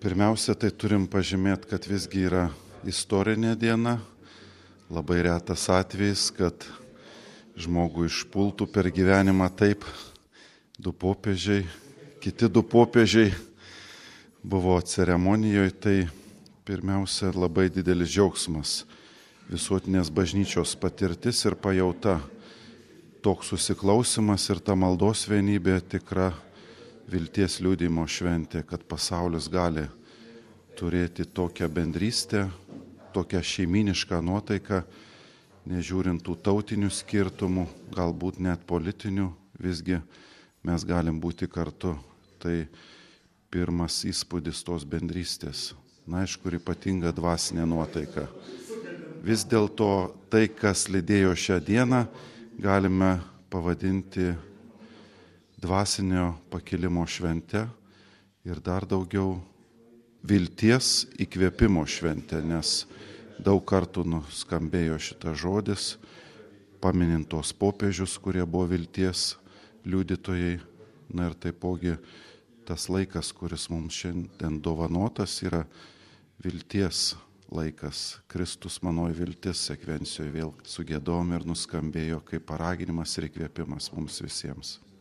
Pirmiausia, tai turim pažymėti, kad visgi yra istorinė diena. Labai retas atvejis, kad žmogų išpultų per gyvenimą taip. Du popiežiai, kiti du popiežiai buvo ceremonijoje, tai pirmiausia labai didelis džiaugsmas. Visuotinės bažnyčios patirtis ir pajauta. Toks susiklausimas ir ta maldos vienybė tikra vilties liudijimo šventė, kad pasaulis gali turėti tokią bendrystę, tokią šeiminišką nuotaiką, nežiūrint tų tautinių skirtumų, galbūt net politinių, visgi mes galim būti kartu. Tai pirmas įspūdis tos bendrystės. Na, aišku, ir ypatinga dvasinė nuotaika. Vis dėlto tai, kas lydėjo šią dieną, galime pavadinti dvasinio pakilimo švente ir dar daugiau vilties įkvėpimo švente, nes daug kartų nuskambėjo šitas žodis, paminint tos popiežius, kurie buvo vilties liudytojai. Na ir taipogi tas laikas, kuris mums šiandien dovanotas, yra vilties laikas. Kristus manoji viltis sekvencijoje vėl sugėdom ir nuskambėjo kaip paraginimas ir įkvėpimas mums visiems.